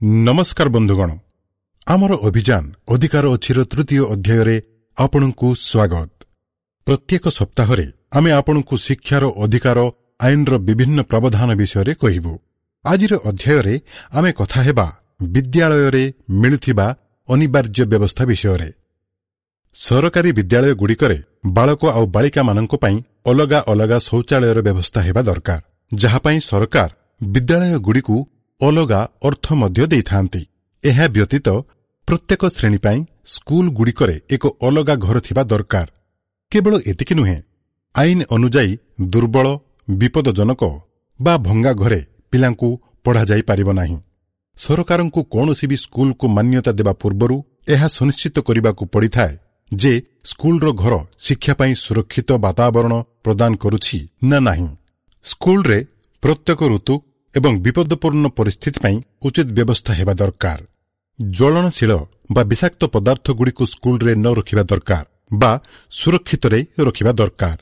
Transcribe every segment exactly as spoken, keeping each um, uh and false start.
ନମସ୍କାର ବନ୍ଧୁଗଣ, ଆମର ଅଭିଯାନ ଅଧିକାର ଅଛିର ତୃତୀୟ ଅଧ୍ୟାୟରେ ଆପଣଙ୍କୁ ସ୍ୱାଗତ। ପ୍ରତ୍ୟେକ ସପ୍ତାହରେ ଆମେ ଆପଣଙ୍କୁ ଶିକ୍ଷାର ଅଧିକାର ଆଇନର ବିଭିନ୍ନ ପ୍ରାବଧାନ ବିଷୟରେ କହିବୁ। ଆଜିର ଅଧ୍ୟାୟରେ ଆମେ କଥା ହେବା ବିଦ୍ୟାଳୟରେ ମିଳୁଥିବା ଅନିବାର୍ଯ୍ୟ ବ୍ୟବସ୍ଥା ବିଷୟରେ। ସରକାରୀ ବିଦ୍ୟାଳୟଗୁଡ଼ିକରେ ବାଳକ ଆଉ ବାଳିକାମାନଙ୍କ ପାଇଁ ଅଲଗା ଅଲଗା ଶୌଚାଳୟର ବ୍ୟବସ୍ଥା ହେବା ଦରକାର, ଯାହା ପାଇଁ ସରକାର ବିଦ୍ୟାଳୟଗୁଡ଼ିକୁ ଅଲଗା ଅର୍ଥ ମଧ୍ୟ ଦେଇଥାନ୍ତି। ଏହା ବ୍ୟତୀତ ପ୍ରତ୍ୟେକ ଶ୍ରେଣୀ ପାଇଁ ସ୍କୁଲଗୁଡ଼ିକରେ ଏକ ଅଲଗା ଘର ଥିବା ଦରକାର। କେବଳ ଏତିକି ନୁହେଁ, ଆଇନ ଅନୁଯାୟୀ ଦୁର୍ବଳ, ବିପଦଜନକ ବା ଭଙ୍ଗା ଘରେ ପିଲାଙ୍କୁ ପଢ଼ାଯାଇପାରିବ ନାହିଁ। ସରକାରଙ୍କୁ କୌଣସି ବି ସ୍କୁଲକୁ ମାନ୍ୟତା ଦେବା ପୂର୍ବରୁ ଏହା ସୁନିଶ୍ଚିତ କରିବାକୁ ପଡ଼ିଥାଏ ଯେ ସ୍କୁଲର ଘର ଶିକ୍ଷା ପାଇଁ ସୁରକ୍ଷିତ ବାତାବରଣ ପ୍ରଦାନ କରୁଛି ନା ନାହିଁ। ସ୍କୁଲରେ ପ୍ରତ୍ୟେକ ଋତୁ ଏବଂ ବିପଦପୂର୍ଣ୍ଣ ପରିସ୍ଥିତି ପାଇଁ ଉଚିତ ବ୍ୟବସ୍ଥା ହେବା ଦରକାର। ଜ୍ୱଳନଶୀଳ ବା ବିଷାକ୍ତ ପଦାର୍ଥଗୁଡ଼ିକୁ ସ୍କୁଲରେ ନ ରଖିବା ଦରକାର ବା ସୁରକ୍ଷିତରେ ରଖିବା ଦରକାର।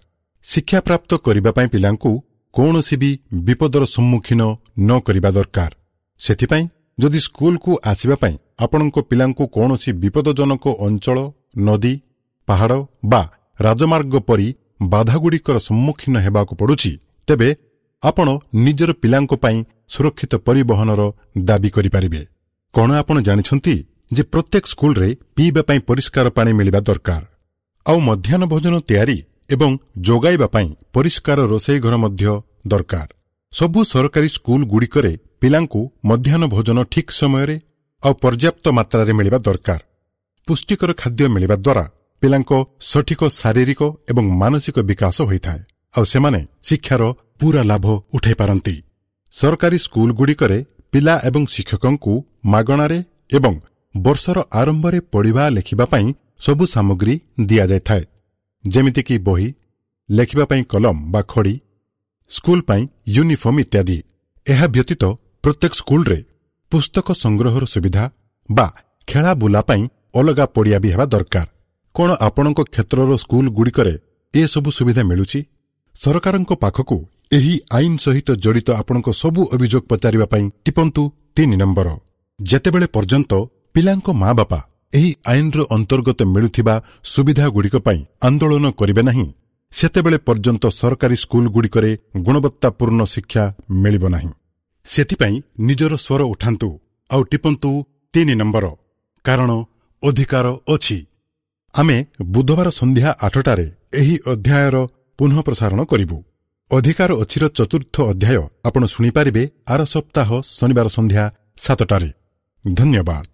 ଶିକ୍ଷାପ୍ରାପ୍ତ କରିବା ପାଇଁ ପିଲାଙ୍କୁ କୌଣସି ବି ବିପଦର ସମ୍ମୁଖୀନ ନ କରିବା ଦରକାର। ସେଥିପାଇଁ ଯଦି ସ୍କୁଲକୁ ଆସିବା ପାଇଁ ଆପଣଙ୍କ ପିଲାଙ୍କୁ କୌଣସି ବିପଦଜନକ ଅଞ୍ଚଳ, ନଦୀ, ପାହାଡ଼ ବା ରାଜମାର୍ଗ ପରି ବାଧାଗୁଡ଼ିକର ସମ୍ମୁଖୀନ ହେବାକୁ ପଡ଼ୁଛି, ତେବେ ଆପଣ ନିଜର ପିଲାଙ୍କ ପାଇଁ ସୁରକ୍ଷିତ ପରିବହନର ଦାବି କରିପାରିବେ। କଣ ଆପଣ ଜାଣିଛନ୍ତି ଯେ ପ୍ରତ୍ୟେକ ସ୍କୁଲରେ ପିଇବା ପାଇଁ ପରିଷ୍କାର ପାଣି ମିଳିବା ଦରକାର, ଆଉ ମଧ୍ୟାହ୍ନ ଭୋଜନ ତିଆରି ଏବଂ ଯୋଗାଇବା ପାଇଁ ପରିଷ୍କାର ରୋଷେଇ ଘର ମଧ୍ୟ ଦରକାର। ସବୁ ସରକାରୀ ସ୍କୁଲଗୁଡ଼ିକରେ ପିଲାଙ୍କୁ ମଧ୍ୟାହ୍ନ ଭୋଜନ ଠିକ୍ ସମୟରେ ଆଉ ପର୍ଯ୍ୟାପ୍ତ ମାତ୍ରାରେ ମିଳିବା ଦରକାର। ପୁଷ୍ଟିକର ଖାଦ୍ୟ ମିଳିବା ଦ୍ୱାରା ପିଲାଙ୍କ ସଠିକ ଶାରୀରିକ ଏବଂ ମାନସିକ ବିକାଶ ହୋଇଥାଏ, ଆଉ ସେମାନେ ଶିକ୍ଷାର ପୂରା ଲାଭ ଉଠାଇ ପାରନ୍ତି। ସରକାରୀ ସ୍କୁଲଗୁଡ଼ିକରେ ପିଲା ଏବଂ ଶିକ୍ଷକଙ୍କୁ ମାଗଣାରେ ଏବଂ ବର୍ଷର ଆରମ୍ଭରେ ପଢ଼ିବା ଲେଖିବା ପାଇଁ ସବୁ ସାମଗ୍ରୀ ଦିଆଯାଇଥାଏ, ଯେମିତିକି ବହି, ଲେଖିବା ପାଇଁ କଲମ ବା ଖଡ଼ି, ସ୍କୁଲ ପାଇଁ ୟୁନିଫର୍ମ ଇତ୍ୟାଦି। ଏହା ବ୍ୟତୀତ ପ୍ରତ୍ୟେକ ସ୍କୁଲରେ ପୁସ୍ତକ ସଂଗ୍ରହର ସୁବିଧା ବା ଖେଳାବୁଲା ପାଇଁ ଅଲଗା ପଡ଼ିଆ ବି ହେବା ଦରକାର। କଣ ଆପଣଙ୍କ କ୍ଷେତ୍ରର ସ୍କୁଲଗୁଡ଼ିକରେ ଏସବୁ ସୁବିଧା ମିଳୁଛି? ସରକାରଙ୍କ ପାଖକୁ ଏହି ଆଇନ ସହିତ ଜଡ଼ିତ ଆପଣଙ୍କ ସବୁ ଅଭିଯୋଗ ପଚାରିବା ପାଇଁ ଟିପନ୍ତୁ ତିନି ନମ୍ବର। ଯେତେବେଳେ ପର୍ଯ୍ୟନ୍ତ ପିଲାଙ୍କ ମା ବାପା ଏହି ଆଇନର ଅନ୍ତର୍ଗତ ମିଳୁଥିବା ସୁବିଧାଗୁଡ଼ିକ ପାଇଁ ଆନ୍ଦୋଳନ କରିବେ ନାହିଁ, ସେତେବେଳେ ପର୍ଯ୍ୟନ୍ତ ସରକାରୀ ସ୍କୁଲଗୁଡ଼ିକରେ ଗୁଣବତ୍ତାପୂର୍ଣ୍ଣ ଶିକ୍ଷା ମିଳିବ ନାହିଁ। ସେଥିପାଇଁ ନିଜର ସ୍ୱର ଉଠାନ୍ତୁ ଆଉ ଟିପନ୍ତୁ ତିନି ନମ୍ବର, କାରଣ ଅଧିକାର ଅଛି। ଆମେ ବୁଧବାର ସନ୍ଧ୍ୟା ଆଠଟାରେ ଏହି ଅଧ୍ୟାୟର ପୁନଃ ପ୍ରସାରଣ କରିବୁ। ଅଧିକାର ଅଛିର ଚତୁର୍ଥ ଅଧ୍ୟାୟ ଆପଣ ଶୁଣିପାରିବେ ଆର ସପ୍ତାହ ଶନିବାର ସନ୍ଧ୍ୟା ସାତଟାରେ। ଧନ୍ୟବାଦ।